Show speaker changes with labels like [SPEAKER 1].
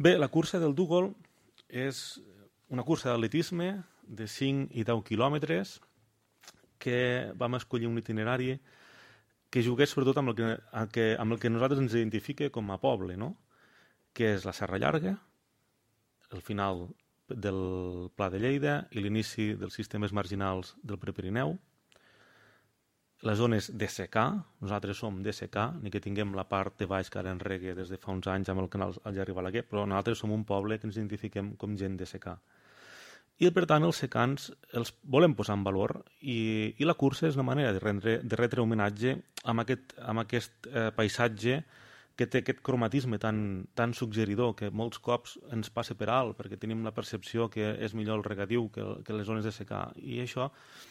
[SPEAKER 1] Bé, la cursa del Dúgol és una cursa d'atletisme de 5 i 10 quilòmetres que vam escollir un itinerari que jugués sobretot amb el que nosaltres ens identifica com a poble, no? Que és la Serra Llarga, el final del Pla de Lleida i l'inici dels sistemes marginals del Prepirineu, les zones d'SK, nosaltres som d'SK, ni que tinguem la part de baix que ara enregue des de fa uns anys amb el canal Algerri Balaguer, però nosaltres som un poble que ens identifiquem com gent d'SK. I per tant els secans els volem posar en valor i la cursa és una manera de retre homenatge amb aquest paisatge que té aquest cromatisme tan suggeridor que molts cops ens passa per alt perquè tenim la percepció que és millor el regadiu que les zones de secà, i això